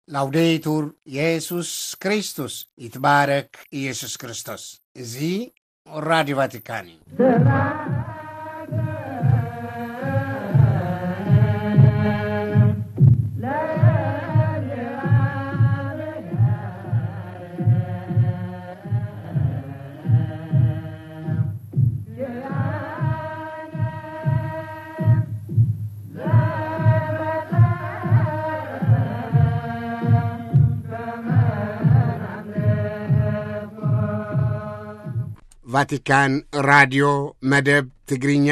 ላውዴቱር የሱስ ክርስቶስ፣ ይትባረክ ኢየሱስ ክርስቶስ። እዚ ራዲዮ ቫቲካን እዩ። ቫቲካን ራድዮ መደብ ትግርኛ፣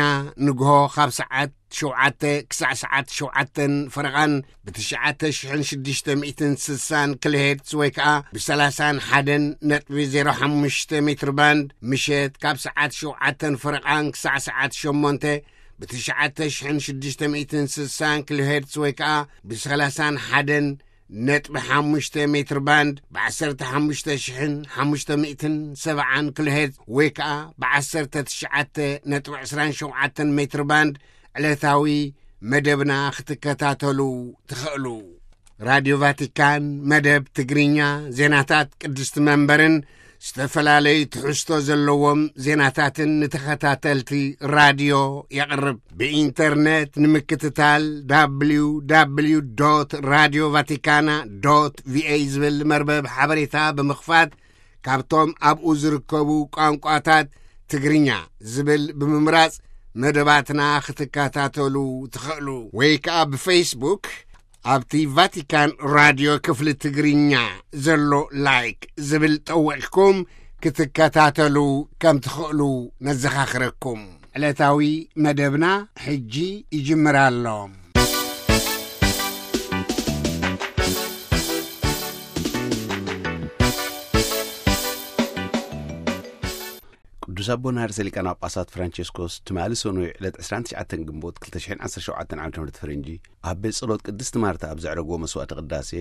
ንግሆ ካብ ሰዓት ሸውዓተ ክሳዕ ሰዓት ሸውዓተን ፈረቓን ብትሽዓተ ሽሕን ሽዱሽተ ሚእትን ስሳን ኪሎሄርትዝ ወይ ከኣ ብሰላሳን ሓደን ነጥቢ ዜሮ ሓሙሽተ ሜትር ባንድ፣ ምሸት ካብ ሰዓት ሸውዓተን ፈረቓን ክሳዕ ሰዓት ሸሞንተ ብትሽዓተ ሽሕን ሽዱሽተ ሚእትን ስሳን ኪሎሄርትዝ ወይ ከኣ ብሰላሳን ሓደን ነጥቢ ሓሙሽተ ሜትር ባንድ፣ ብ ዓሰርተ ሓሙሽተ ሽሕን ሓሙሽተ ሚእትን ሰብዓን ኪሎሄርትዝ ወይ ከኣ ብ ዓሰርተ ትሽዓተ ነጥቢ ዕስራን ሸውዓተን ሜትር ባንድ ዕለታዊ መደብና ክትከታተሉ ትኽእሉ። ራድዮ ቫቲካን መደብ ትግርኛ፣ ዜናታት ቅድስቲ መንበርን ዝተፈላለዩ ትሕዝቶ ዘለዎም ዜናታትን ንተኸታተልቲ ራድዮ የቕርብ። ብኢንተርነት ንምክትታል፣ www ቫቲካና va ዝብል መርበብ ሓበሬታ ብምኽፋት፣ ካብቶም ኣብኡ ዝርከቡ ቋንቋታት ትግርኛ ዝብል ብምምራጽ መደባትና ክትከታተሉ ትኽእሉ። ወይ ከኣ ብፌስቡክ ኣብቲ ቫቲካን ራድዮ ክፍሊ ትግርኛ ዘሎ ላይክ ዝብል ጠዊቕኩም ክትከታተሉ ከም ትኽእሉ ነዘኻኽረኩም። ዕለታዊ መደብና ሕጂ ይጅምር ኣሎ። ቅዱስ ኣቦና ርእሰ ሊቃነ ጳጳሳት ፍራንቸስኮስ ትማሊ ሰኑይ ዕለት ዕስራን ትሽዓተን ግንቦት ክልተ ሽሕን ዓሰርተ ሸውዓተን ዓመተ ምህረት ፈረንጂ ኣብ ቤት ጸሎት ቅድስቲ ማርታ ኣብ ዘዕረግዎ መስዋዕተ ቅዳሴ፣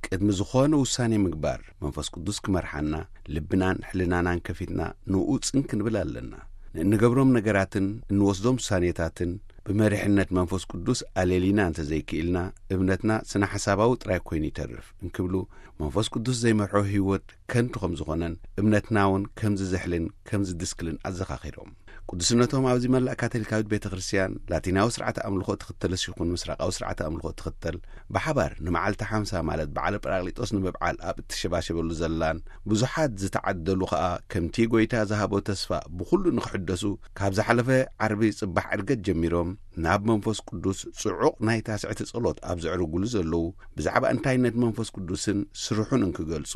ቅድሚ ዝኾነ ውሳኔ ምግባር መንፈስ ቅዱስ ክመርሓና፣ ልብናን ሕልናናን ከፊትና ንኡ ጽን ክንብል ኣለና። ንእንገብሮም ነገራትን እንወስዶም ውሳኔታትን ብመሪሕነት መንፈስ ቅዱስ ኣለሊና እንተዘይክኢልና፣ እምነትና ስነ ሓሳባዊ ጥራይ ኮይኑ ይተርፍ እንክብሉ፣ መንፈስ ቅዱስ ዘይመርሖ ህይወት ከንቱ ከም ዝኾነን እምነትና እውን ከም ዝዝሕልን ከም ዝድስክልን ኣዘኻኺሮም። ቅዱስነቶም ኣብዚ መላእ ካቶሊካዊት ቤተ ክርስቲያን ላቲናዊ ስርዓተ ኣምልኾ ትኽተልስ ይኹን ምስራቃዊ ስርዓተ ኣምልኾ ትኽተል፣ ብሓባር ንመዓልቲ ሓምሳ ማለት በዓለ ጳራቅሊጦስ ንምብዓል ኣብ እትሸባሸበሉ ዘላን ብዙሓት ዝተዓደሉ ኸኣ ከምቲ ጎይታ ዝሃቦ ተስፋ ብኹሉ ንኽሕደሱ ካብ ዝሓለፈ ዓርቢ ጽባሕ ዕርገት ጀሚሮም ናብ መንፈስ ቅዱስ ጽዑቕ ናይ ታስዕቲ ጸሎት ኣብ ዘዕርጉሉ ዘለዉ ብዛዕባ እንታይነት መንፈስ ቅዱስን ስርሑን እንክገልጹ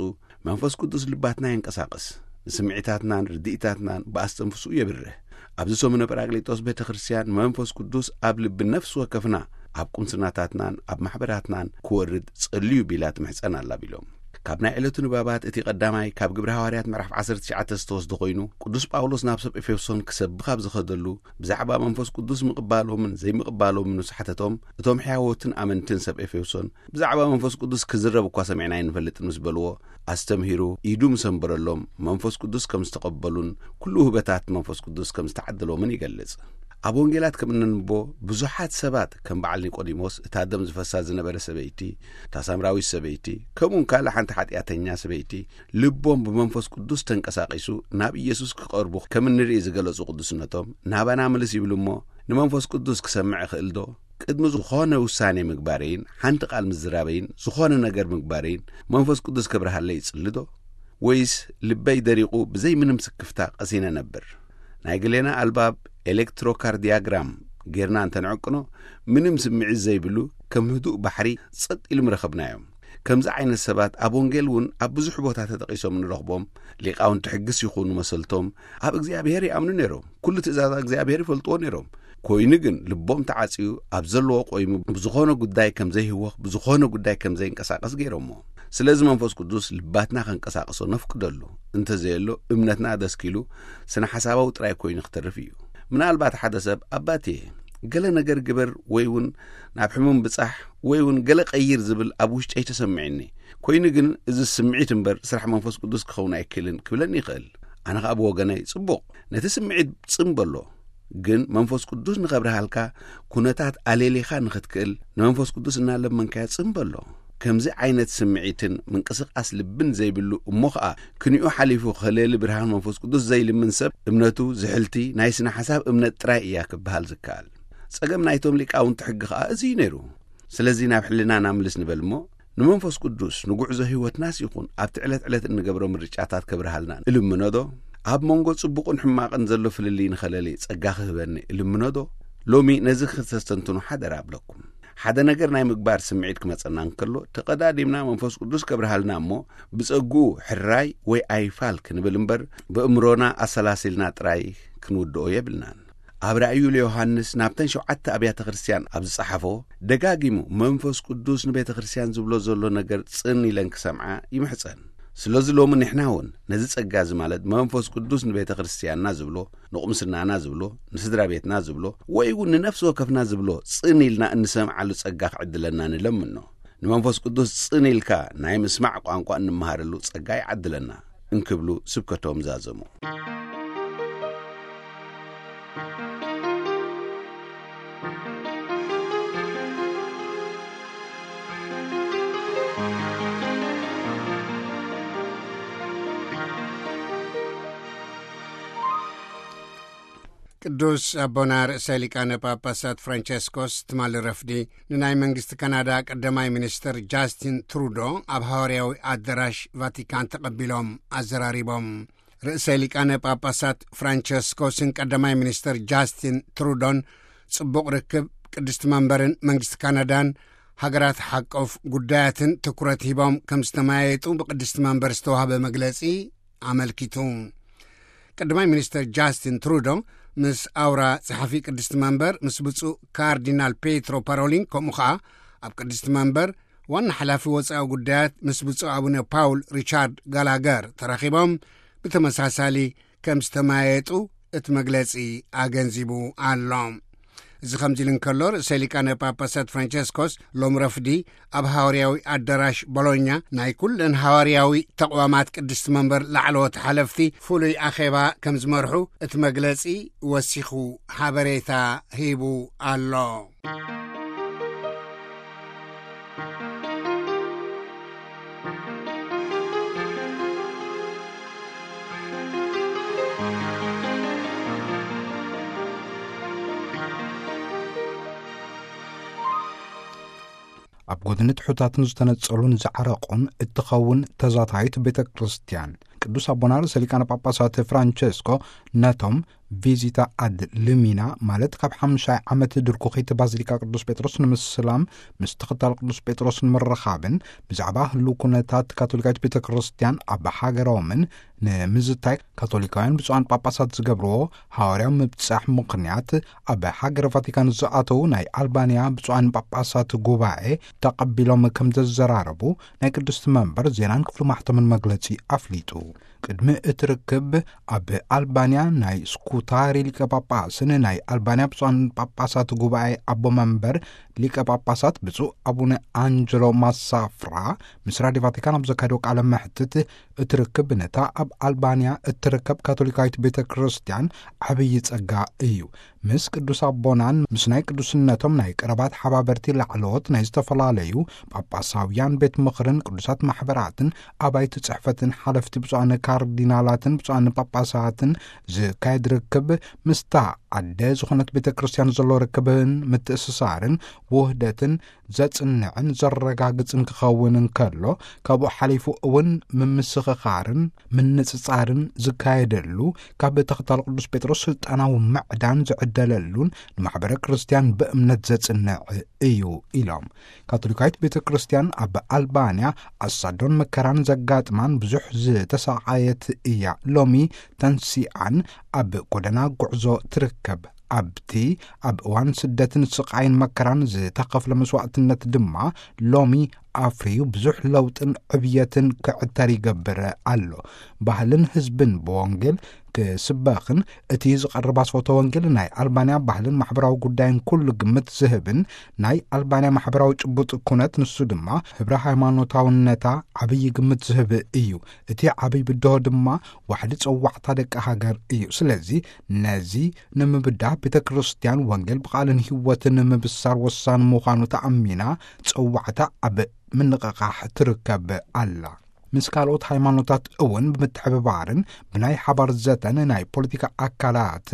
መንፈስ ቅዱስ ልባትና የንቀሳቕስ፣ ንስምዒታትናን ርድኢታትናን ብኣስተንፍስኡ የብርህ። ኣብዚ ሰሙነ ጳራቅሊጦስ ቤተ ክርስቲያን መንፈስ ቅዱስ ኣብ ልቢ ነፍሲ ወከፍና፣ ኣብ ቁምስናታትናን ኣብ ማሕበራትናን ክወርድ ጸልዩ ቢላ ትምሕጸን ኣላ ቢሎም። ካብ ናይ ዕለቱ ንባባት እቲ ቀዳማይ ካብ ግብረ ሃዋርያት ምዕራፍ ዓሰርተ ትሽዓተ ዝተወስደ ኮይኑ፣ ቅዱስ ጳውሎስ ናብ ሰብ ኤፌሶን ክሰብኽ ኣብ ዝኸደሉ ብዛዕባ መንፈስ ቅዱስ ምቕባሎምን ዘይምቕባሎምን ምስ ሓተቶም፣ እቶም ሕያዎትን ኣመንትን ሰብ ኤፌሶን ብዛዕባ መንፈስ ቅዱስ ክዝረብ እኳ ሰሚዕና ኣይንፈልጥን ምስ በልዎ፣ ኣስተምሂሩ ኢዱ ምስ ኣንበረሎም መንፈስ ቅዱስ ከም ዝተቐበሉን ኩሉ ውህበታት መንፈስ ቅዱስ ከም ዝተዓደሎምን ይገልጽ። ኣብ ወንጌላት ከም እነንብቦ ብዙሓት ሰባት ከም በዓል ኒቆዲሞስ፣ እታ ደም ዝፈሳ ዝነበረ ሰበይቲ፣ እታ ሳምራዊት ሰበይቲ፣ ከምኡውን ካልእ ሓንቲ ሓጢኣተኛ ሰበይቲ ልቦም ብመንፈስ ቅዱስ ተንቀሳቒሱ ናብ ኢየሱስ ክቐርቡ ከም እንርኢ ዝገለጹ ቅዱስነቶም ናባና ምልስ ይብሉ እሞ ንመንፈስ ቅዱስ ክሰምዕ እኽእል ዶ? ቅድሚ ዝኾነ ውሳኔ ምግባረይን ሓንቲ ቃል ምዝራበይን ዝኾነ ነገር ምግባረይን መንፈስ ቅዱስ ከብርሃለይ ይጽሊ ዶ? ወይስ ልበይ ደሪቑ ብዘይ ምንም ስክፍታ ቀሲነ ነብር? ናይ ግሌና ኣልባብ ኤሌክትሮካርዲያግራም ጌርና እንተንዕቅኖ ምንም ስምዒት ዘይብሉ ከም ህዱእ ባሕሪ ጸጥ ኢሉ ምረኸብናዮም። ከምዚ ዓይነት ሰባት ኣብ ወንጌል እውን ኣብ ብዙሕ ቦታ ተጠቒሶም ንረኽቦም። ሊቃውንቲ ሕግስ ይኹኑ መሰልቶም ኣብ እግዚኣብሔር ይኣምኑ ነይሮም። ኩሉ ትእዛዛት እግዚኣብሔር ይፈልጥዎ ነይሮም። ኮይኑ ግን ልቦም ተዓጽዩ ኣብ ዘለዎ ቆይሙ ብዝኾነ ጉዳይ ከም ዘይህወኽ ብዝኾነ ጉዳይ ከም ዘይንቀሳቀስ ገይሮሞ። ስለዚ መንፈስ ቅዱስ ልባትና ከንቀሳቀሶ ነፍቅደሉ። እንተዘየሎ እምነትና ደስኪሉ ስነ ሓሳባዊ ጥራይ ኮይኑ ክተርፍ እዩ። ምናልባት ሓደ ሰብ ኣባቴ ገለ ነገር ግበር ወይ እውን ናብ ሕሙም ብጻሕ ወይ እውን ገለ ቀይር ዝብል ኣብ ውሽጠይ ተሰሚዕኒ። ኮይኑ ግን እዚ ስምዒት እምበር ስራሕ መንፈስ ቅዱስ ክኸውን ኣይክእልን ክብለኒ ይኽእል። ኣነ ከኣ ብወገነይ ጽቡቕ ነቲ ስምዒት ጽምበሎ። ግን መንፈስ ቅዱስ ንኸብርሃልካ ኩነታት ኣለሊኻ ንኽትክእል ንመንፈስ ቅዱስ እናለመንካዮ ጽምበሎ። ከምዚ ዓይነት ስምዒትን ምንቅስቓስ ልብን ዘይብሉ፣ እሞ ኸኣ ክንኡ ሓሊፉ ከለሊ ብርሃን መንፈስ ቅዱስ ዘይልምን ሰብ፣ እምነቱ ዝሕልቲ ናይ ስነ ሓሳብ እምነት ጥራይ እያ ክበሃል ዝከኣል። ጸገም ናይቶም ሊቃውንቲ ሕጊ ኸኣ እዚ እዩ ነይሩ። ስለዚ ናብ ሕልናና ምልስ ንበል እሞ፣ ንመንፈስ ቅዱስ ንጉዕዞ ህይወትናስ ይኹን ኣብቲ ዕለት ዕለት እንገብሮ ምርጫታት ከብርሃልና እልምኖ ዶ? ኣብ መንጎ ጽቡቕን ሕማቕን ዘሎ ፍልልይ ንኸለሊ ጸጋ ክህበኒ እልምኖ ዶ? ሎሚ ነዚ ክተስተንትኑ ሓደራ እብለኩም። ሓደ ነገር ናይ ምግባር ስምዒት ክመጸና እንከሎ፣ ተቐዳዲምና መንፈስ ቅዱስ ከብርሃልና እሞ፣ ብጸግኡ ሕራይ ወይ ኣይፋል ክንብል እምበር፣ ብእምሮና ኣሰላሲልና ጥራይ ክንውድኦ የብልናን። ኣብ ራእዩ ለዮሃንስ ናብተን ሸውዓተ ኣብያተ ክርስቲያን ኣብ ዝጸሓፎ፣ ደጋጊሙ መንፈስ ቅዱስ ንቤተ ክርስቲያን ዝብሎ ዘሎ ነገር ጽን ኢለን ክሰምዓ ይምሕጸን። ስለዚ ሎሚ ንሕና እውን ነዚ ጸጋ እዚ፣ ማለት መንፈስ ቅዱስ ንቤተ ክርስቲያንና ዝብሎ፣ ንቁምስናና ዝብሎ፣ ንስድራ ቤትና ዝብሎ፣ ወይ እውን ንነፍሲ ወከፍና ዝብሎ ጽን ኢልና እንሰምዓሉ ጸጋ ክዕድለና ንለምኖ። ንመንፈስ ቅዱስ ጽን ኢልካ ናይ ምስማዕ ቋንቋ እንመሃረሉ ጸጋ ይዓድለና እንክብሉ ስብከቶም ዛዘሙ። ቅዱስ ኣቦና ርእሰ ሊቃነ ጳጳሳት ፍራንቸስኮስ ትማሊ ረፍዲ ንናይ መንግስቲ ካናዳ ቀዳማይ ሚኒስተር ጃስቲን ትሩዶ ኣብ ሃዋርያዊ ኣዳራሽ ቫቲካን ተቐቢሎም ኣዘራሪቦም። ርእሰ ሊቃነ ጳጳሳት ፍራንቸስኮስን ቀዳማይ ሚኒስተር ጃስቲን ትሩዶን ጽቡቕ ርክብ ቅድስቲ መንበርን መንግስቲ ካናዳን ሃገራት ሓቆፍ ጉዳያትን ትኩረት ሂቦም ከም ዝተመያየጡ ብቅድስቲ መንበር ዝተዋህበ መግለጺ ኣመልኪቱ። ቀዳማይ ሚኒስተር ጃስቲን ትሩዶ ምስ ኣውራ ጸሓፊ ቅድስቲ መንበር ምስ ብፁዕ ካርዲናል ፔትሮ ፓሮሊን፣ ከምኡ ኸኣ ኣብ ቅድስቲ መንበር ዋና ሓላፊ ወጻኢ ጉዳያት ምስ ብፁዕ ኣቡነ ፓውል ሪቻርድ ጋላገር ተራኺቦም ብተመሳሳሊ ከም ዝተመያየጡ እቲ መግለጺ ኣገንዚቡ ኣሎ። እዚ ከምዚ ኢሉ እንከሎ፣ ርእሰ ሊቃነ ጳጳሳት ፍራንቸስኮስ ሎም ረፍዲ ኣብ ሃዋርያዊ ኣዳራሽ ቦሎኛ ናይ ኩለን ሃዋርያዊ ተቕዋማት ቅድስቲ መንበር ላዕለዎት ሓለፍቲ ፍሉይ ኣኼባ ከም ዝመርሑ እቲ መግለጺ ወሲኹ ሓበሬታ ሂቡ ኣሎ። ኣብ ጎድኒ ትሑታትን ዝተነጸሉን ዝዓረቑን እትኸውን ተዛታይት ቤተ ክርስቲያን፣ ቅዱስ ኣቦና ርእሰ ሊቃነ ጳጳሳት ፍራንቸስኮ ነቶም ቪዚታ ኣድ ልሚና፣ ማለት ካብ ሓምሻይ ዓመት ድርኩኺት ባዚሊካ ቅዱስ ጴጥሮስ ንምስላም፣ ምስ ተኸታል ቅዱስ ጴጥሮስ ንምርኻብን ብዛዕባ ህልው ኩነታት ካቶሊካዊት ቤተ ክርስቲያን ኣብ ሃገሮምን ንምዝታይ ካቶሊካውያን ብፁዓን ጳጳሳት ዝገብርዎ ሃዋርያዊ ምብጻሕ ምኽንያት፣ ኣብ ሃገረ ቫቲካን ዝኣተዉ ናይ ኣልባንያ ብፁዓን ጳጳሳት ጉባኤ ተቐቢሎም ከም ዘዘራረቡ ናይ ቅድስቲ መንበር ዜናን ክፍሊ ማሕተምን መግለጺ ኣፍሊጡ። ቅድሚ እቲ ርክብ ኣብ ኣልባንያ ናይ ስኩታሪ ሊቀ ጳጳስን ናይ ኣልባንያ ብፁዓን ጳጳሳት ጉባኤ ኣቦ መንበር ሊቀ ጳጳሳት ብፁዕ ኣቡነ ኣንጀሎ ማሳፍራ ምስ ራድዮ ቫቲካን ኣብ ዘካየዶ ቃለ መሕትት፣ እቲ ርክብ ነታ ኣብ ኣልባንያ እትርከብ ካቶሊካዊት ቤተ ክርስቲያን ዓብዪ ጸጋ እዩ። ምስ ቅዱስ ኣቦናን ምስ ናይ ቅዱስነቶም ናይ ቀረባት ሓባበርቲ ላዕለዎት ናይ ዝተፈላለዩ ጳጳሳውያን ቤት ምኽርን ቅዱሳት ማሕበራትን ኣባይቲ ጽሕፈትን ሓለፍቲ ብፁዓን ካርዲናላትን ብፁዓን ጳጳሳትን ዝካየድ ርክብ፣ ምስታ ኣደ ዝኾነት ቤተ ክርስቲያን ዘሎ ርክብን ምትእስሳርን ውህደትን ዘጽንዕን ዘረጋግጽን ክኸውን እንከሎ፣ ካብኡ ሓሊፉ እውን ምምስኽኻርን ምንጽጻርን ዝካየደሉ፣ ካብ ተኸታል ቅዱስ ጴጥሮስ ስልጣናዊ ምዕዳን ዝዕደለሉን ንማሕበረ ክርስቲያን ብእምነት ዘጽንዕ እዩ ኢሎም። ካቶሊካዊት ቤተ ክርስቲያን ኣብ ኣልባንያ ኣሳዶን መከራን ዘጋጥማን ብዙሕ ዝተሳቐየት እያ። ሎሚ ተንሲኣን ኣብ ጎደና ጉዕዞ ትርከብ። ኣብቲ ኣብ እዋን ስደትን ስቓይን መከራን ዝተኸፍለ መስዋዕትነት ድማ ሎሚ ኣፍርዩ ብዙሕ ለውጥን ዕብየትን ክዕተር ይገብር ኣሎ። ባህልን ህዝብን ብወንጌል ክስበኽን እቲ ዝቐርብ ኣስፈቶ ወንጌል ናይ ኣልባንያ ባህልን ማሕበራዊ ጉዳይን ኩሉ ግምት ዝህብን ናይ ኣልባንያ ማሕበራዊ ጭቡጥ ኩነት፣ ንሱ ድማ ህብረ ሃይማኖታውነታ ዓብዪ ግምት ዝህብ እዩ። እቲ ዓብዪ ብድሆ ድማ ዋሕዲ ጸዋዕታ ደቂ ሃገር እዩ። ስለዚ ነዚ ንምብዳህ ቤተ ክርስቲያን ወንጌል ብቓልን ህይወትን ንምብሳር ወሳኒ ምዃኑ ተኣሚና፣ ጸዋዕታ ኣብ ምንቕቓሕ ትርከብ ኣላ። ምስ ካልኦት ሃይማኖታት እውን ብምትሕብባርን ብናይ ሓባር ዘተን ናይ ፖለቲካ ኣካላት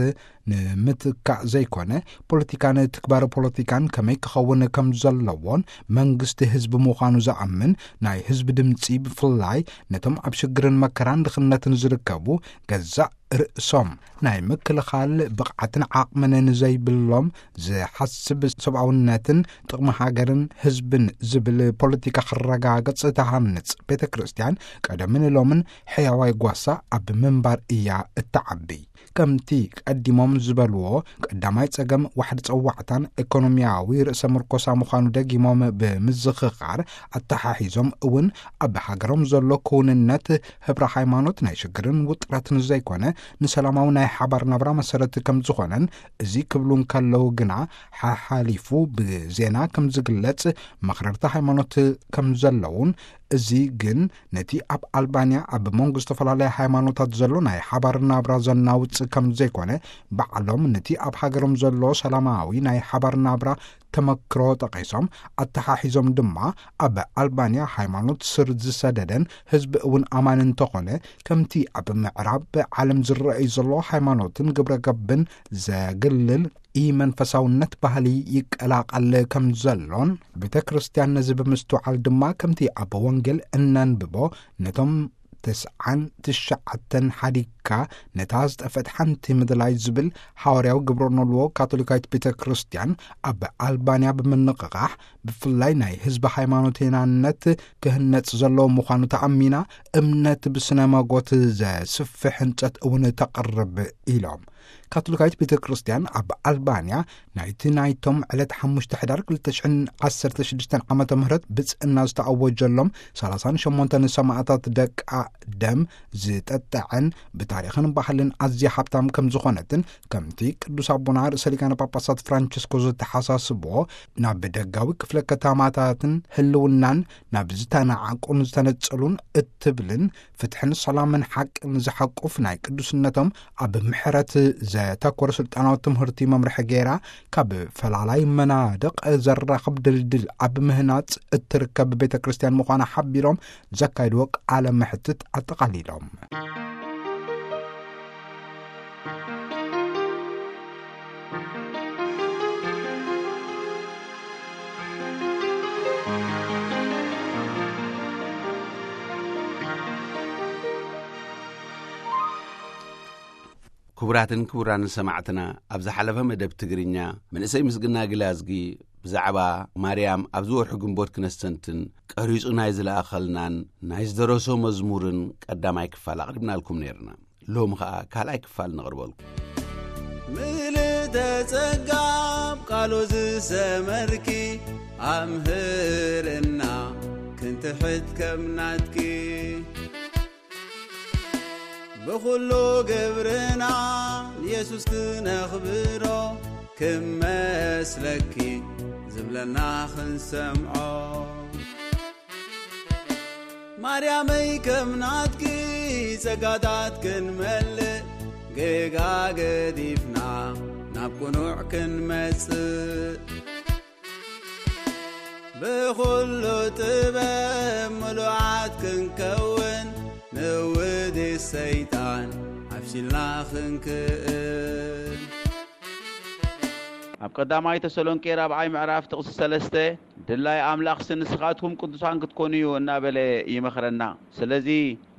ንምትካእ ዘይኮነ፣ ፖለቲካን ትግባረ ፖለቲካን ከመይ ክኸውን ከም ዘለዎን መንግስቲ ህዝቢ ምዃኑ ዝኣምን፣ ናይ ህዝቢ ድምፂ ብፍላይ ነቶም ኣብ ሽግርን መከራን ድኽነትን ዝርከቡ ገዛእ ርእሶም ናይ ምክልኻል ብቕዓትን ዓቕምን ንዘይብሎም ዝሓስብ ሰብኣውነትን ጥቕሚ ሃገርን ህዝብን ዝብል ፖለቲካ ክረጋገጽ ትሃንጽ ቤተ ክርስቲያን ቀደምን ሎምን ሕያዋይ ጓሳ ኣብ ምንባር እያ እትዓቢ። ከምቲ ቀዲሞም ዝበልዎ ቀዳማይ ጸገም ዋሕዲ ጸዋዕታን ኢኮኖሚያዊ ርእሰ ምርኮሳ ምዃኑ ደጊሞም ብምዝኽኻር ኣተሓሒዞም እውን ኣብ ሃገሮም ዘሎ ክውንነት ህብረ ሃይማኖት ናይ ሽግርን ውጥረትን ዘይኮነ ንሰላማዊ ናይ ሓባር ናብራ መሰረት ከም ዝኾነን እዚ ክብሉ እንከለዉ ግና ሓሓሊፉ ብዜና ከም ዝግለጽ መኽረርቲ ሃይማኖት ከም ዘለዉን እዚ ግን ነቲ ኣብ ኣልባንያ ኣብ መንጎ ዝተፈላለያ ሃይማኖታት ዘሎ ናይ ሓባር ናብራ ዘናውጽ ከም ዘይኮነ ባዕሎም ነቲ ኣብ ሃገሮም ዘሎ ሰላማዊ ናይ ሓባር ናብራ ተመክሮ ጠቒሶም ኣተሓሒዞም ድማ ኣብ ኣልባንያ ሃይማኖት ስር ዝሰደደን ህዝቢ እውን ኣማኒ እንተኾነ ከምቲ ኣብ ምዕራብ ዓለም ዝረኣዩ ዘሎ ሃይማኖትን ግብረ ገብን ዘግልል ኢመንፈሳውነት ባህሊ ይቀላቐል ከም ዘሎን ቤተ ክርስቲያን ነዚ ብምስትውዓል ድማ ከምቲ ኣብ ወንጌል እነንብቦ ነቶም ተስዓን ትሽዓተን ሓዲግካ ነታ ዝጠፍአት ሓንቲ ምድላይ ዝብል ሃዋርያዊ ግብረ ኖልዎ ካቶሊካዊት ቤተ ክርስቲያን ኣብ ኣልባንያ ብምንቕቓሕ ብፍላይ ናይ ህዝቢ ሃይማኖቴናነት ክህነጽ ዘለዎ ምዃኑ ተኣሚና እምነት ብስነ መጎት ዘስፍሕ ህንጸት እውን ተቕርብ ኢሎም። ካቶሊካዊት ቤተ ክርስቲያን ኣብ ኣልባንያ ናይቲ ናይቶም ዕለት ሓሙሽተ ሕዳር ክልተ ሽሕን ዓሰርተ ሽዱሽተን ዓመተ ምህረት ብጽእና ዝተኣወጀሎም ሰላሳን ሸሞንተን ሰማእታት ደቃ ደም ዝጠጠዐን ብታሪኽን ባህልን ኣዝያ ሃብታም ከም ዝኾነትን ከምቲ ቅዱስ ኣቦና ርእሰ ሊቃነ ጳጳሳት ፍራንቸስኮ ዝተሓሳስቦ ናብ ደጋዊ ክፍለ ከተማታትን ህልውናን ናብ ዝተናዓቁን ዝተነጸሉን እትብልን ፍትሕን ሰላምን ሓቅን ዝሓቁፍ ናይ ቅዱስነቶም ኣብ ምሕረት ዘተኮረ ስልጣናዊ ትምህርቲ መምርሒ ገይራ ካብ ፈላላይ መናድቕ ዘራኽብ ድልድል ኣብ ምህናጽ እትርከብ ቤተ ክርስቲያን ምዃና ሓቢሮም ዘካይድዎ ቃለ መሕትት ኣጠቓሊሎም። ክቡራትን ክቡራን ሰማዕትና፣ ኣብ ዝሓለፈ መደብ ትግርኛ፣ መንእሰይ ምስግና ግላዝጊ ብዛዕባ ማርያም ኣብዚ ወርሒ ግንቦት ክነስተንትን ቀሪጹ ናይ ዝለኣኸልናን ናይ ዝደረሶ መዝሙርን ቀዳማይ ክፋል ኣቕሪብናልኩም ነይርና። ሎሚ ኸኣ ካልኣይ ክፋል ነቕርበልኩም። ምልእተ ጸጋ ኣብ ቃሉ ዝሰመርኪ፣ ኣምህርና ክንትሕት ከም ናትኪ። ብኹሉ ግብርና ንየሱስ ክነኽብሮ፣ ክመስለኪ ዝብለና ክንሰምዖ። ማርያመይ ከም ናትኪ ጸጋታት ክንመልእ፣ ጌጋ ገዲፍና ናብ ቅኑዕ ክንመጽእ። ብኹሉ ጥበብ ምሉዓት ክንከውን፣ ንውዲ ሰይጣን ዓብሲልና ክንክእን። ኣብ ቀዳማይ ተሰሎንቄ ራብዓይ ምዕራፍ ጥቕሲ ሰለስተ፣ ድላይ ኣምላኽሲ ንስኻትኩም ቅዱሳን ክትኮኑ እዩ እናበለ ይመኽረና። ስለዚ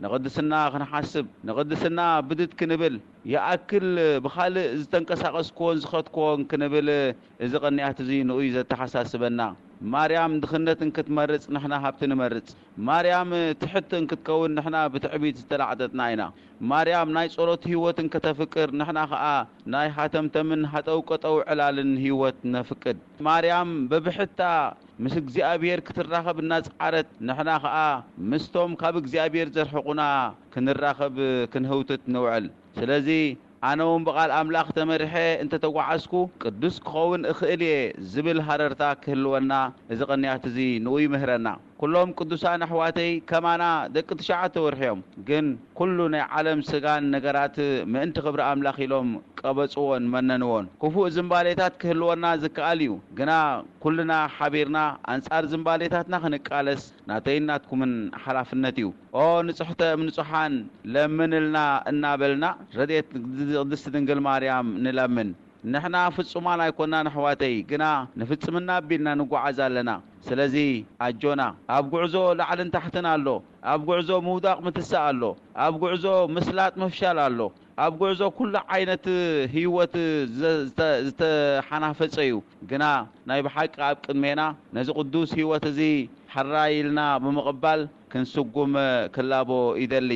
ንቕድስና ክንሓስብ፣ ንቕድስና ብድድ ክንብል፣ ይኣክል ብኻልእ ዝተንቀሳቐስክዎን ዝኸድክዎን ክንብል እዚ ቅንያት እዚ ንኡ እዩ ዘተሓሳስበና። ማርያም ድኽነት እንክትመርጽ ንሕና ሃብቲ ንመርጽ። ማርያም ትሕቲ እንክትከውን ንሕና ብትዕቢት ዝተላዕጠጥና ኢና። ማርያም ናይ ጸሎት ህይወት እንክተፍቅር ንሕና ኸኣ ናይ ሃተምተምን ሃጠውቀጠው ዕላልን ህይወት ነፍቅድ። ማርያም በብሕታ ምስ እግዚኣብሔር ክትራኸብ እናጸዓረት ንሕና ኸኣ ምስቶም ካብ እግዚኣብሔር ዘርሕቑና ክንራኸብ ክንህውትት ንውዕል። ስለዚ ኣነ እውን ብቓል ኣምላኽ ተመሪሐ እንተተጓዓዝኩ ቅዱስ ክኸውን እኽእል እየ ዝብል ሃረርታ ክህልወና እዚ ቅንያት እዚ ንኡ ይምህረና። ኩሎም ቅዱሳን ኣሕዋተይ ከማና ደቂ ትሽዓተ ወርሒ እዮም። ግን ኩሉ ናይ ዓለም ስጋን ነገራት ምእንቲ ክብሪ ኣምላኽ ኢሎም ቀበጽዎን መነንዎን። ክፉእ ዝንባሌታት ክህልወና ዝከኣል እዩ። ግና ኩልና ሓቢርና ኣንጻር ዝንባሌታትና ክንቃለስ ናተይን ናትኩምን ሓላፍነት እዩ። ኦ ንጽሕተ እም ንጹሓን ለምንልና እናበልና ረድኤት ቅድስቲ ድንግል ማርያም ንለምን። ንሕና ፍጹማን ኣይኮናን ኣሕዋተይ፣ ግና ንፍጽምና ኣቢልና ንጓዓዝ ኣለና። ስለዚ ኣጆና፣ ኣብ ጉዕዞ ላዕልን ታሕትን ኣሎ፣ ኣብ ጉዕዞ ምውዳቕ ምትሳእ ኣሎ፣ ኣብ ጉዕዞ ምስላጥ ምፍሻል ኣሎ፣ ኣብ ጉዕዞ ኩሉ ዓይነት ህይወት ዘ-፣ ዝተ-፣ ዝተሓናፈጸ እዩ። ግና ናይ ብሓቂ ኣብ ቅድሜና ነዚ ቅዱስ ህይወት እዚ ሕራይ ኢልና ብምቕባል ክንስጉም ክላቦ ይደሊ።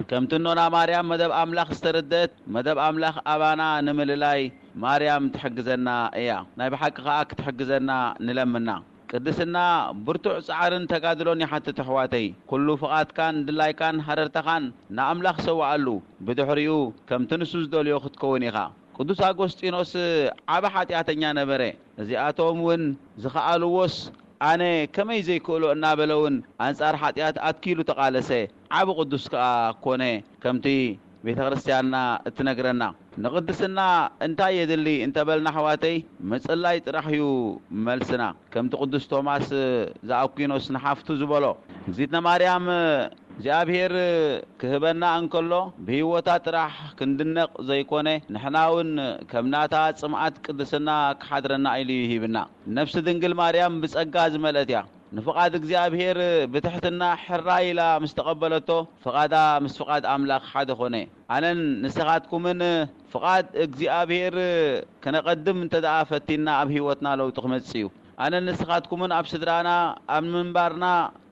ከምቲ እኖና ማርያም መደብ ኣምላኽ ዝተረደት፣ መደብ ኣምላኽ ኣባና ንምልላይ ማርያም ትሕግዘና እያ። ናይ ብሓቂ ከኣ ክትሕግዘና ንለምና። ቅድስና ብርቱዕ ጻዕርን ተጋድሎን ይሓትት ኣሕዋተይ። ኩሉ ፍቓድካን ድላይካን ሃረርታኻን ንኣምላኽ ሰውኣሉ። ብድሕሪኡ ከምቲ ንሱ ዝደልዮ ክትከውን ኢኻ። ቅዱስ ኣጎስጢኖስ ዓቢ ሓጢኣተኛ ነበረ። እዚኣቶም እውን ዝኸኣልዎስ ኣነ ከመይ ዘይክእሎ እናበለ እውን ኣንጻር ሓጢኣት ኣትኪሉ ተቓለሰ። ዓቢ ቅዱስ ከኣ ኮነ። ከምቲ ቤተ ክርስቲያንና እትነግረና። ንቕድስና እንታይ የድሊ እንተበልና ኣሕዋተይ፣ ምጽላይ ጥራሕ እዩ መልስና። ከምቲ ቅዱስ ቶማስ ዘኣኩኖስ ንሓፍቱ ዝበሎ፣ እግዚእትነ ማርያም እግዚኣብሔር ክህበና እንከሎ ብህይወታ ጥራሕ ክንድነቕ ዘይኮነ፣ ንሕና እውን ከም ናታ ጽምኣት ቅድስና ክሓድረና ኢሉ እዩ ሂብና። ነፍሲ ድንግል ማርያም ብጸጋ ዝመልአት እያ። ንፍቓድ እግዚኣብሔር ብትሕትና ሕራይ ኢላ ምስ ተቐበለቶ፣ ፍቓዳ ምስ ፍቓድ ኣምላኽ ሓደ ኾነ። ኣነን ንስኻትኩምን ፍቓድ እግዚኣብሔር ከነቐድም እንተ ደኣ ፈቲንና፣ ኣብ ህይወትና ለውጢ ክመጽእ እዩ። ኣነን ንስኻትኩምን ኣብ ስድራና፣ ኣብ ምንባርና፣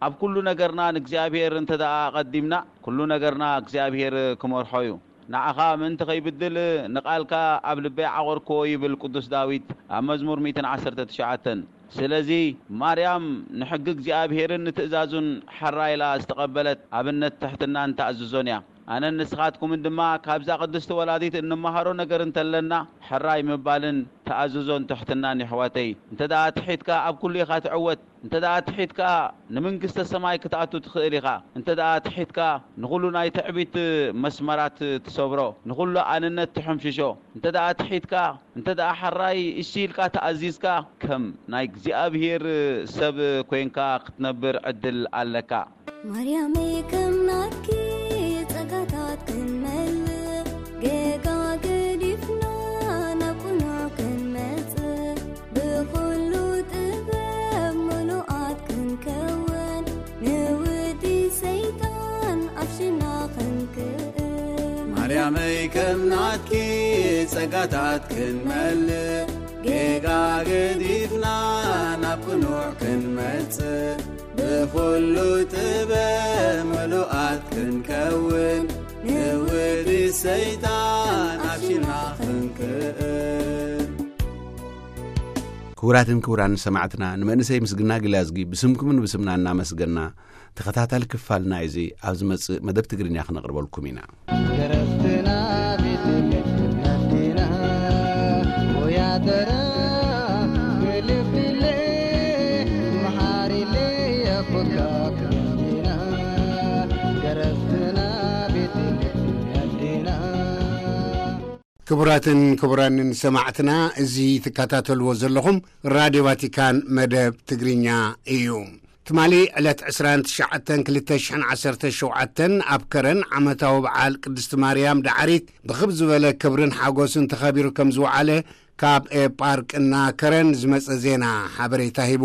ኣብ ኩሉ ነገርና ንእግዚኣብሔር እንተ ደኣ ኣቐዲምና፣ ኩሉ ነገርና እግዚኣብሔር ክመርሖ እዩ። ንዓኻ ምእንቲ ከይብድል ንቓልካ ኣብ ልበይ ዓቖርክዎ ይብል ቅዱስ ዳዊት ኣብ መዝሙር ሚእትን ዓሰርተ ትሽዓተን። ስለዚ ማርያም ንሕጊ እግዚኣብሔርን ንትእዛዙን ሕራይ ኢላ ዝተቐበለት ኣብነት ትሕትናን ተኣዝዞን እያ። ኣነን ንስኻትኩምን ድማ ካብዛ ቅድስቲ ወላዲት እንመሃሮ ነገር እንተለና ሕራይ ምባልን ተኣዝዞን ትሕትናን የሕዋተይ። እንተ ደኣ ትሒትካ ኣብ ኩሉ ኢኻ ትዕወት። እንተ ደኣ ትሒትካ ንምንግስተ ሰማይ ክትኣቱ ትኽእል ኢኻ። እንተ ደኣ ትሒትካ ንኹሉ ናይ ትዕቢት መስመራት ትሰብሮ፣ ንኹሉ ኣንነት ትሕምሽሾ። እንተ ደኣ ትሒትካ፣ እንተ ደኣ ሕራይ እሺ ኢልካ ተኣዚዝካ፣ ከም ናይ እግዚኣብሔር ሰብ ኮይንካ ክትነብር ዕድል ኣለካ። ማርያመይ ከም ናትኪ ጸጋታት ክንመልእ፣ ጌጋ ገዲፍና ናብ ቅኑዕ ክንመጽእ፣ ብኹሉ ጥበብ ምሉኣት ክንከውን፣ ንውዲ ሰይጣን ኣፍሽና ክንክእል። ማርያመይ ከም ናትኪ ጸጋታት ክንመልእ፣ ጌጋ ገዲፍና ናብ ቅኑዕ ክንመጽእ፣ ብኹሉ ጥበብ ምሉኣት ክንከውን፣ ንውዲ ሰይጣን ኣፍሽና ክንክእል። ክቡራትን ክቡራን ሰማዕትና፣ ንመንእሰይ ምስግና ግላዝጊ ብስምኩምን ብስምና እናመስገና፣ ተኸታታሊ ክፋልና እዚ ኣብ ዝመጽእ መደብ ትግርኛ ክነቕርበልኩም ኢና። ደረፍትና ቤት መዲና፣ ወያተራ፣ ግልፍለ፣ መሓሪለ፣ የቦካ ክረፍትና፣ ደረፍትና ቤት መዲና። ክቡራትን ክቡራንን ሰማዕትና፣ እዚ ትከታተልዎ ዘለኹም ራድዮ ቫቲካን መደብ ትግርኛ እዩ። ትማሊ ዕለት ዕስራን ትሽዓተን ክልተ ሽሕን ዓሰርተ ሸውዓተን ኣብ ከረን ዓመታዊ በዓል ቅድስቲ ማርያም ደዓሪት ብኽብ ዝበለ ክብርን ሓጎስን ተኸቢሩ ከም ዝወዓለ ካብ ኤጳርቅና ከረን ዝመጸ ዜና ሓበሬታ ሂቡ።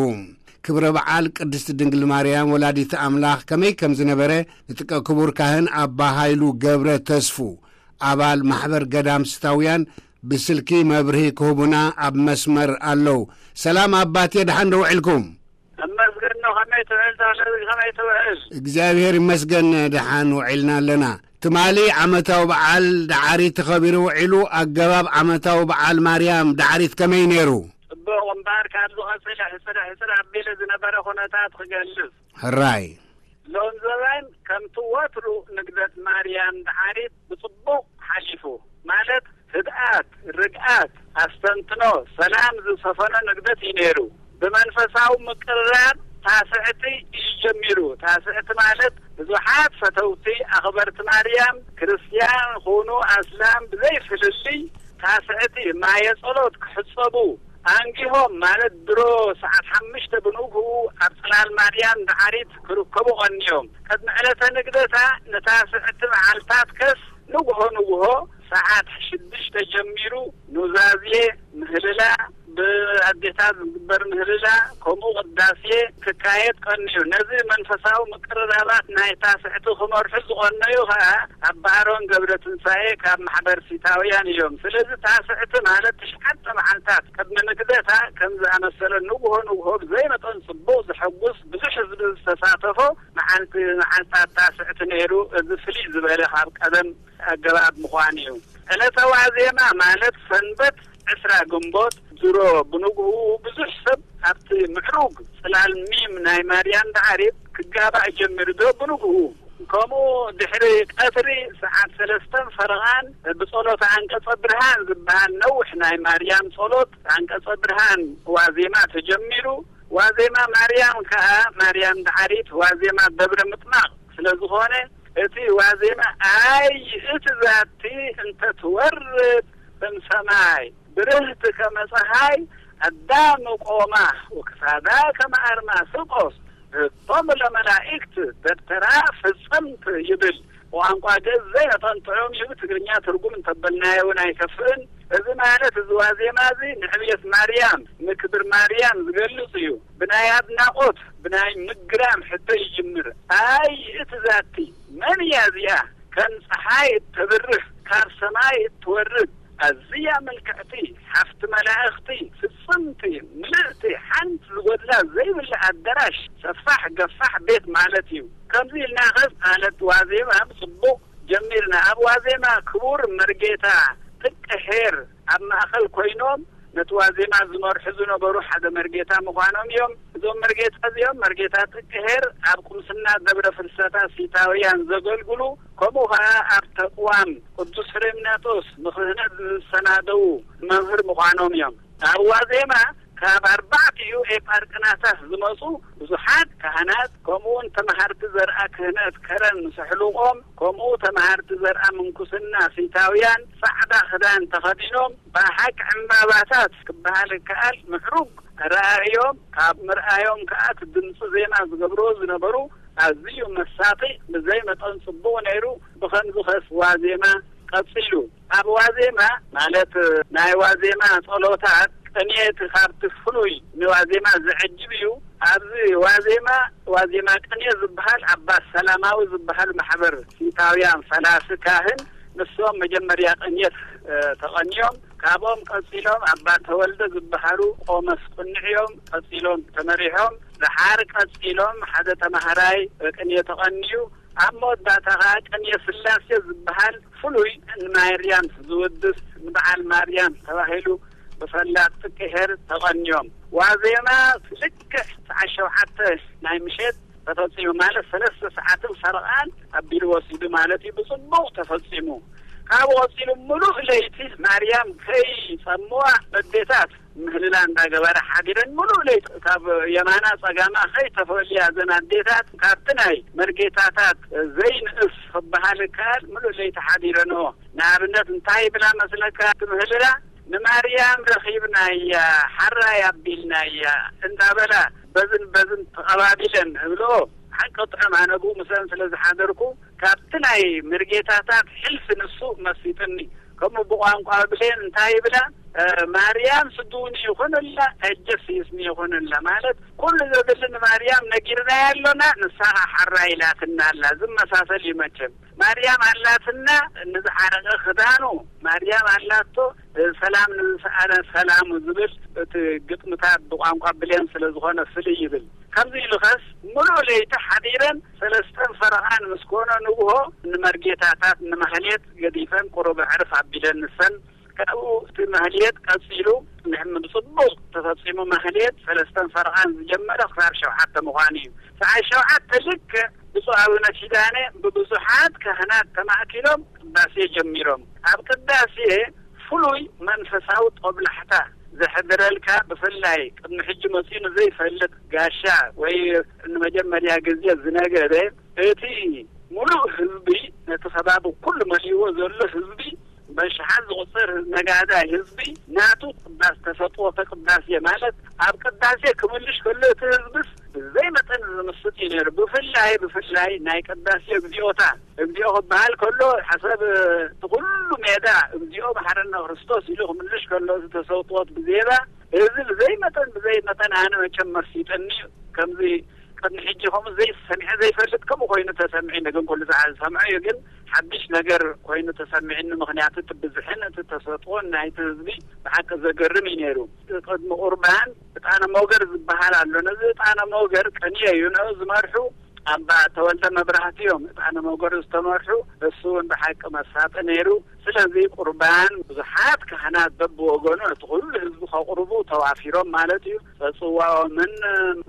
ክብረ በዓል ቅድስቲ ድንግል ማርያም ወላዲተ ኣምላኽ ከመይ ከም ዝነበረ ንጥቀ ክቡር ካህን ኣባ ሃይሉ ገብረ ተስፉ ኣባል ማሕበር ገዳም ስታውያን ብስልኪ መብርሂ ክህቡና ኣብ መስመር ኣለዉ። ሰላም ኣባቴ፣ ደሓን ዶ ውዒልኩም? እመስገን ነው። ከመይ ትውዕል ተኽለ፣ ከመይ ትውዕል? እግዚኣብሔር ይመስገን፣ ደሓን ውዒልና ኣለና። ትማሊ ዓመታዊ በዓል ደዓሪት ተኸቢሩ ውዒሉ። ኣገባብ ዓመታዊ በዓል ማርያም ደዓሪት ከመይ ነይሩ? ጽቡቕ እምበኣር፣ ካብ ዝቐጽል ሕጽር ሕጽር ኣቢለ ዝነበረ ኩነታት ክገልጽ። ሕራይ። ሎም ዘበን ከምቲ ወትሩ ንግደት ማርያም ደሓሪት ብጽቡቕ ሓሊፉ፣ ማለት ህድኣት፣ ርግኣት፣ ኣስተንትኖ፣ ሰላም ዝሰፈኖ ንግደት እዩ ነይሩ። ብመንፈሳዊ ምቅርራብ ታስዕቲ እዩ ጀሚሩ። ታስዕቲ ማለት ብዙሓት ፈተውቲ ኣኽበርቲ ማርያም፣ ክርስትያን ኹኑ ኣስላም ብዘይ ፍልልይ፣ ታስዕቲ ማየ ጸሎት ክሕጸቡ ኣንጊሆም፣ ማለት ድሮ ሰዓት ሓሙሽተ ብንግሁ ኣብ ጽላል ማርያም ዳዕሪት ክርከቡ ቀንዮም። ቅድሚ ዕለተ ንግደታ ንታስዕቲ መዓልታት ከስ ንግሆ ንግሆ ሰዓት ሽዱሽተ ጀሚሩ ኑዛዜ፣ ምህልላ፣ ብኣዴታት ዝግበር ምህልላ፣ ከምኡ ቅዳሴ ክካየድ ቀንዩ። ነዚ መንፈሳዊ ምቅርራባት ናይ ታስዕቲ ክመርሑ ዝቐነዩ ኸኣ ኣባ ኣሮን ገብረ ትንሳኤ ካብ ማሕበር ሲታውያን እዮም። ስለዚ ታስዕቲ ማለት ትሽዓተ መዓልታት ቅድሚ ንግደታ ከም ዝኣመሰለ ንግሆ ንግሆ ብዘይ መጠን ጽቡቕ፣ ዘሐጉስ፣ ብዙሕ ህዝቢ ዝተሳተፎ መዓልቲ፣ መዓልታት ታስዕቲ ነይሩ። እዚ ፍልይ ዝበለ ካብ ቀደም ኣገባብ ምዃኑ እዩ። ዕለተ ዋዜማ ማለት ሰንበት ዕስራ ግንቦት ድሮ ብንግሁ ብዙሕ ሰብ ኣብቲ ምዕሩግ ጽላል ሚም ናይ ማርያም ዳዕሪት ክጋባእ ጀሚሩ ዶ ብንግሁ። ከምኡ ድሕሪ ቀትሪ ሰዓት ሰለስተን ፈረቓን ብጸሎተ ኣንቀጸ ብርሃን ዝበሃል ነዊሕ ናይ ማርያም ጸሎት ኣንቀጸ ብርሃን ዋዜማ ተጀሚሩ። ዋዜማ ማርያም ከኣ ማርያም ዳዕሪት ዋዜማ ደብረ ምጥማቕ ስለ ዝኾነ እቲ ዋዜማ ኣይ እቲ ዛቲ እንተ ትወርድ እም ሰማይ ብርህቲ ከመ ጸሃይ ኣዳም ቆማ ወክሳዳ ከመ ኣርማስቆስ ርቶም ለመላእክት ደብተራ ፍጽምት ይብል። ብቋንቋ ግእዝ ዘይነጠንጥዖም እዩ። ትግርኛ ትርጉም እንተበልናዮ እውን ኣይከፍእን። እዚ ማለት እዚ ዋዜማ እዚ ንዕብየት ማርያም፣ ንክብር ማርያም ዝገልጽ እዩ። ብናይ ኣድናቖት፣ ብናይ ምግራም ሕቶ ይጅምር። ኣይ እቲ ዛቲ መን እያ እዚኣ? ከም ጸሓይ እተብርህ፣ ካብ ሰማይ እትወርድ፣ ኣዝያ ምልክዕቲ፣ ሓፍቲ መላእኽቲ፣ ፍጽምቲ፣ ምልእቲ፣ ሓንቲ ዝጎድላ ዘይብላ ኣደራሽ፣ ሰፋሕ ገፋሕ ቤት ማለት እዩ። ከምዚ ኢልና ኸስ ማለት ዋዜማ ብጽቡቕ ጀሚርና። ኣብ ዋዜማ ክቡር መርጌታ ጥቀ ኄር ኣብ ማእኸል ኮይኖም ነቲ ዋዜማ ዝመርሑ ዝነበሩ ሓደ መርጌታ ምዃኖም እዮም። እዞም መርጌታ እዚኦም መርጌታ ጥቀ ኄር ኣብ ቁምስና ደብረ ፍልሰታ ሲታውያን ዘገልግሉ፣ ከምኡ ኸዓ ኣብ ተቅዋም ቅዱስ ፍሬምናጦስ ንክህነት ዝሰናደዉ መምህር ምዃኖም እዮም። ኣብ ዋዜማ ካብ ኣርባዕቲኡ ኤጳርቅናታት ዝመጹ ብዙሓት ካህናት፣ ከምኡውን ተመሃርቲ ዘርኣ ክህነት ከረን ምስ ኣሕሉቖም፣ ከምኡ ተመሃርቲ ዘርኣ ምንኩስና ሲታውያን ጻዕዳ ክዳን ተኸዲኖም፣ ብሓቂ ዕምባባታት ክበሃል ይከኣል ምዕሩግ ኣረኣእዮም፣ ካብ ምርኣዮም ከኣ እቲ ድምጺ ዜማ ዝገብርዎ ዝነበሩ ኣዝዩ መሳጢ፣ ብዘይ መጠን ጽቡቕ ነይሩ። ብኸምዚ ኸስ ዋዜማ ቀጺሉ። ኣብ ዋዜማ ማለት ናይ ዋዜማ ጸሎታት ቅኔ እቲ ካብቲ ፍሉይ ንዋዜማ ዘዕጅብ እዩ። ኣብዚ ዋዜማ፣ ዋዜማ ቅኔ ዝበሃል ኣባ ሰላማዊ ዝበሃል ማሕበር ሲታውያን ፈላሲ ካህን ንሶም መጀመርያ ቅኔት፣ እ፣ ተቐንዮም፣ ካብኦም ቀጺሎም ኣባ ተወልደ ዝበሃሉ ቆመስ ቁንዕ እዮም። ቀጺሎም ተመሪሖም፣ ደሓር ቀጺሎም ሓደ ተማሃራይ ቅኔ ተቐንዩ፣ ኣብ መወዳእታ ኸኣ ቅኔ ስላሴ ዝበሃል ፍሉይ ንማርያም ዝውድስ ንበዓል ማርያም ተባሂሉ ብፈላጥ ጥቀ ኄር ተቐንዮም። ዋዜማ ልክዕ ሰዓት ሸውዓተ ናይ ምሸት ተፈጺሙ፣ ማለት ሰለስተ ሰዓትን ፈረቓን ኣቢሉ ወሲዱ ማለት እዩ። ብጽቡቕ ተፈጺሙ። ካብኡ ቀጺሉ ምሉእ ለይቲ ማርያም ከይጸምዋ ኣዴታት ምህልላ እንዳገበራ ሓዲረን ምሉእ ለይቲ ካብ የማና ጸጋማ ከይተፈልያ እዘን ኣዴታት ካብቲ ናይ መርጌታታት ዘይንእስ ክበሃል ይከኣል ምሉእ ለይቲ ሓዲረንኦ። ንኣብነት እንታይ ይብላ መስለካ እቲ ምህልላ? ንማርያም ረኺብናያ፣ ሓራይ ኣቢልናያ እንዳበላ በዝን በዝን ተቐባቢለን እብልኦ። ሓቂ ጥዑም ኣነ ብኡ ምስለን ስለ ዝሓደርኩ ካብቲ ናይ መርጌታታት ሕልፊ ንሱ መሲጥኒ። ከምኡ ብቋንቋ ብሌን እንታይ ይብላ? እ፣ ማርያም ስድውኒ ይኹንላ፣ እጀስ ይስኒ ይኹንላ። ማለት ኩሉ ዘድሊ ንማርያም ነጊርናያ ኣሎና፣ ንሳ ኸዓ ሓራ ኢላትና ኣላ። ዝመሳሰል እዩ መቸም። ማርያም ኣላትና ንዝዓረቐ ክዳኑ፣ ማርያም ኣላቶ፣ እ፣ ሰላም ንዝሰኣነ ሰላሙ ዝብል እቲ ግጥምታት ብቋንቋ ብሌን ስለ ዝኾነ ፍልይ ይብል። ከምዚ ኢሉ ኸስ ምሉእ ለይቲ ሓዲረን ሰለስተን ፈረቓን ምስ ኮነ ንግሆ ንመርጌታታት ንማህሌት ገዲፈን ቁሩብ ኣዕርፍ ኣቢለን ንሰን ካብኡ እቲ ማህሌት ቀጺሉ ንሕም ብጽቡቕ ተፈጺሙ። ማህሌት ሰለስተን ፈረቓን ዝጀመረ ክሳብ ሸውዓተ ምዃኑ እዩ። ሰዓት ሸውዓተ ልክዕ ብፁዕ ኣቡነ ኪዳነ ብብዙሓት ካህናት ተማእኪሎም ቅዳሴ ጀሚሮም። ኣብ ቅዳሴ ፍሉይ መንፈሳዊ ጦብላሕታ ዘሕድረልካ፣ ብፍላይ ቅድሚ ሕጂ መጺኡ ንዘይፈልጥ ጋሻ ወይ ንመጀመርያ ግዜ ዝነገረ፣ እቲ ሙሉእ ህዝቢ፣ ነቲ ከባቢ ኩሉ መሊእዎ ዘሎ ህዝቢ፣ በሽሓት ዝቑጸር ነጋዳይ ህዝቢ፣ ናቱ ቅዳስ ተሰጥኦ፣ ተቅዳሴ ማለት ኣብ ቅዳሴ ክምልሽ ከሎ፣ እቲ ህዝብስ ብዘይ መጠን ዝምስጥ እዩ ነይሩ። ብፍላይ፣ ብፍላይ ናይ ቅዳሴ እግዚኣብታ፣ እግዚኣብ ክበሃል ከሎ፣ ሓሰብ እቲ ኩሉ ሜዳ እግዚኣብ መሓረና ክርስቶስ ኢሉ ክምልሽ ከሎ፣ እዚ ተሰውጥኦት ብዜማ፣ እዚ ብዘይ መጠን፣ ብዘይ መጠን ኣነ መቸም መርሲጠኒ። ከምዚ ቅድሚ ሕጂ ከምኡ ዘይሰሚዐ ዘይፈልጥ ከምኡ ኮይኑ ተሰሚዑ፣ ግን ኩሉ ሰዓት ዝሰምዖ እዩ። ግን ሓድሽ ነገር ኮይኑ ተሰሚዕኒ፣ ምኽንያቱ እቲ ብዝሕን እቲ ተሰጥኦን ናይቲ ህዝቢ ብሓቂ ዘገርም እዩ ነይሩ። ቅድሚ ቁርባን ዕጣነ ሞገር ዝበሃል ኣሎ። ነዚ ዕጣነ ሞገር ቅንየ እዩ፣ ንኡ ዝመርሑ ኣባ ተወልደ መብራህቲ እዮም። ዕጣነ ሞገር ዝተመርሑ፣ እሱ እውን ብሓቂ መሳጢ ነይሩ። ስለዚ ቁርባን ብዙሓት ካህናት በብወገኑ፣ እቲ ኩሉ ህዝቢ ከቕርቡ ተዋፊሮም ማለት እዩ። ጽዋኦምን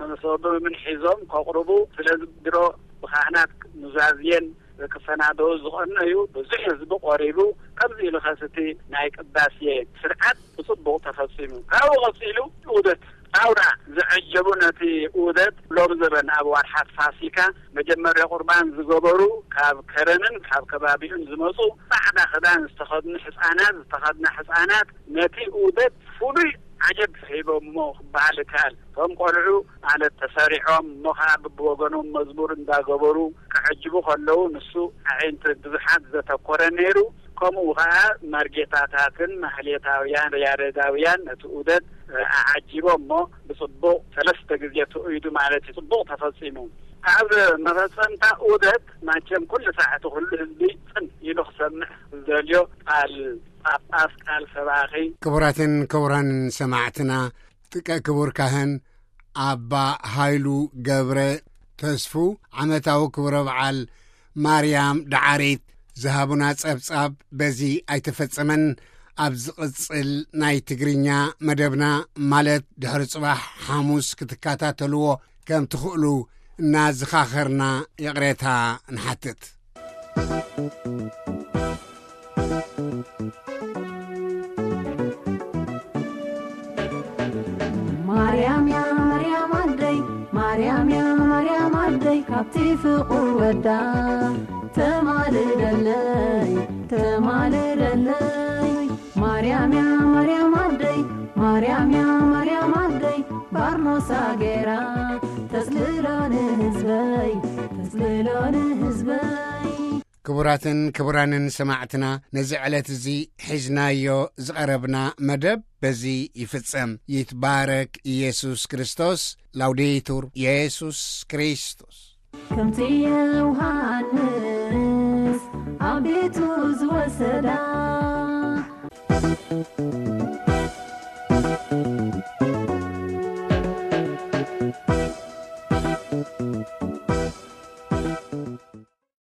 መሶቦምን ሒዞም ከቕርቡ፣ ስለዚ ድሮ ብካህናት ኑዛዝየን ክሰናደው ዝቐነዩ ብዙሕ ህዝቢ ቆሪቡ፣ ከምዚ ኢሉ ኸስቲ ናይ ቅዳሴ ስርዓት ብጽቡቕ ተፈጺሙ። ካብኡ ቀጺሉ ዑደት ኣውራ ዘዐጀቡ፣ ነቲ ዑደት ሎም ዘበን ኣብ ዋርሓት ፋሲካ መጀመርያ ቁርባን ዝገበሩ፣ ካብ ከረንን ካብ ከባቢኡን ዝመጹ፣ ጻዕዳ ክዳን ዝተኸድኑ ሕጻናት፣ ዝተኸድና ሕጻናት ነቲ ዑደት ፍሉይ ዓጀብ ሂቦሞ ክበሃል ይከኣል። እቶም ቆልዑ ማለት ተሰሪዖም፣ እሞ ኸዓ ብብወገኖም መዝሙር እንዳገበሩ ክዕጅቡ ከለዉ፣ ንሱ ኣዒንቲ ብዙሓት ዘተኮረ ነይሩ። ከምኡ ኸዓ መርጌታታትን ማህሌታውያን፣ ያሬዳውያን ነቲ ዑደት ኣዓጂቦም፣ እሞ ብጽቡቕ ሰለስተ ግዜ ትኡይዱ ማለት እዩ። ጽቡቕ ተፈጺሙ። ኣብ መፈጸምታ ዑደት ማቸም ኩሉ ሳዕቲ ኩሉ ህዝቢ ጽን ኢሉ ክሰምዕ ዝደልዮ ቃል ጳጳስ፣ ቃል ሰባኺ። ክቡራትን ክቡራንን ሰማዕትና፣ ጥቀ ክቡር ካህን ኣባ ሃይሉ ገብረ ተስፉ ዓመታዊ ክብረ በዓል ማርያም ደዓሪት ዝሃቡና ጸብጻብ በዚ ኣይተፈጸመን። ኣብ ዝቕጽል ናይ ትግርኛ መደብና፣ ማለት ድሕሪ ጽባሕ ሓሙስ፣ ክትከታተልዎ ከም ትኽእሉ እናዘኻኸርና ይቕሬታ ንሓትት። ማርያም ያ ማርያም ኣደይ፣ ማርያም ያ ማርያም ኣደይ፣ ካብቲ ፍቑር ወዳ ተማልደለይ፣ ተማልደለይ። ማርያም ያ ማርያም ኣደይ፣ ማርያም ያ ማርያም ኣደይ፣ ባርኖሳ ገይራ ተጽልሎ ንህዝበይ፣ ተጽልሎ ንህዝበይ። ክቡራትን ክቡራንን ሰማዕትና፣ ነዚ ዕለት እዚ ሒዝናዮ ዝቐረብና መደብ በዚ ይፍጸም። ይትባረክ ኢየሱስ ክርስቶስ። ላውዴቱር ኢየሱስ ክርስቶስ። ከምቲ የውሃ